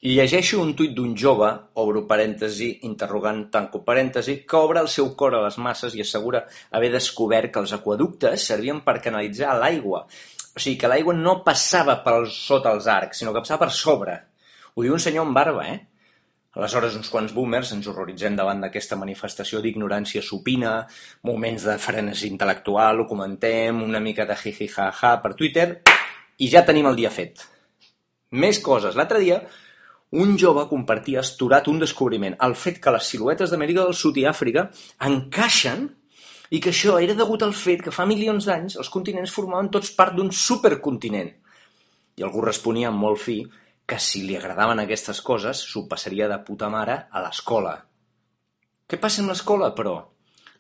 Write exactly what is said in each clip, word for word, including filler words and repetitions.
I llegeixo un tuit d'un jove, obro parèntesi, interrogant, tanco parèntesi, que obre el seu cor a les masses i assegura haver descobert que els aqüeductes servien per canalitzar l'aigua. O sigui, que l'aigua no passava per sota els arcs, sinó que passava per sobre. Ho diu un senyor amb barba, eh? Aleshores, uns quants boomers ens horroritzem davant d'aquesta manifestació d'ignorància supina, moments de frenesi intel·lectual, ho comentem, una mica de jiji-ja-ja per Twitter, i ja tenim el dia fet. Més coses. L'altre dia, un jove compartia estorat un descobriment, el fet que les siluetes d'Amèrica del Sud i Àfrica encaixen i que això era degut al fet que fa milions d'anys els continents formaven tots part d'un supercontinent. I algú responia amb molt fi que si li agradaven aquestes coses s'ho passaria de puta mare a l'escola. Què passa amb l'escola, però?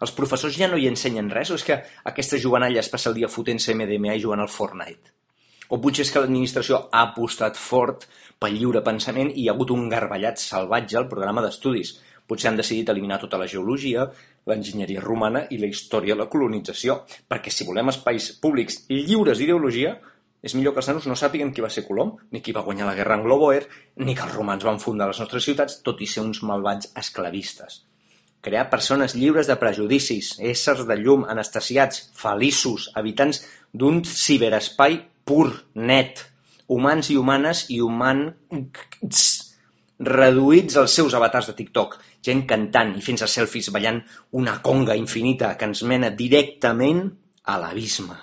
Els professors ja no hi ensenyen res o és que aquesta jovenalla es passa el dia fotent-se M D M A i jugant al Fortnite? O potser és que l'administració ha apostat fort pel lliure pensament i hi ha hagut un garballat salvatge al programa d'estudis. Potser han decidit eliminar tota la geologia, l'enginyeria romana i la història de la colonització, perquè si volem espais públics lliures d'ideologia, és millor que els nanos no sàpiguen qui va ser Colom, ni qui va guanyar la guerra anglo-bòer, ni que els romans van fundar les nostres ciutats, tot i ser uns malvats esclavistes. Crear persones lliures de prejudicis, éssers de llum, anestesiats, feliços, habitants d'un ciberespai pur, net, humans i humanes i humans reduïts als seus avatars de TikTok, gent cantant i fent-se selfies ballant una conga infinita que ens mena directament a l'abisme.